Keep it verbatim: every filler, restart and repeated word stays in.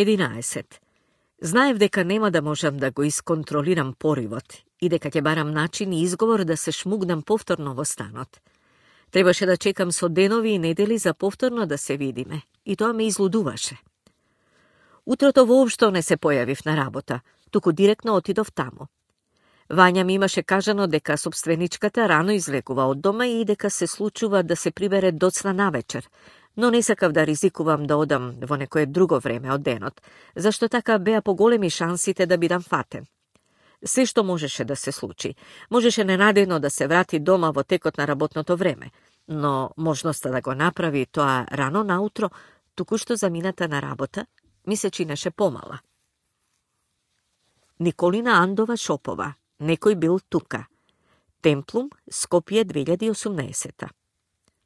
единаесет. Знаев дека нема да можам да го исконтролирам поривот и дека ќе барам начин и изговор да се шмугнам повторно во станот. Требаше да чекам со денови и недели за повторно да се видиме, и тоа ме излудуваше. Утрото воопшто не се појавив на работа, туку директно отидов таму. Вања ми имаше кажано дека собственичката рано излегува од дома и дека се случува да се прибере доцна навечер, но не сакав да ризикувам да одам во некое друго време од денот, зашто така беа поголеми шансите да бидам фатен. Се што можеше да се случи, можеше ненадејно да се врати дома во текот на работното време, но можноста да го направи тоа рано наутро, току-што замината на работа, ми се чинеше помала. Николина Андова Шопова. Некој бил тука. Темплум, Скопје две илјади и осумнаесета.